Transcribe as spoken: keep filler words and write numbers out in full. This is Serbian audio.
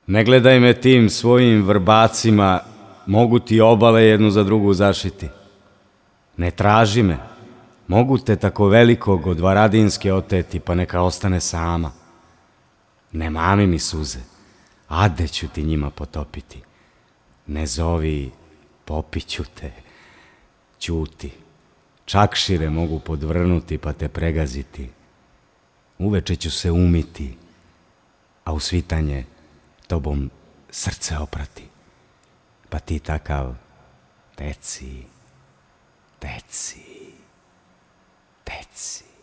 Ne gledaj me tim svojim vrbacima, mogu ti obale jednu za drugu zašiti. Ne traži me, mogu te tako velikog od Varadinske oteti, pa neka ostane sama. Ne mami mi suze, ade ću ti njima potopiti. Ne zovi, popiću te, ćuti. Čakšire mogu podvrnuti pa te pregaziti. Uveče ću se umiti, a u svitanje tobom srce oprati. Pa ti takav, teci, teci, teci.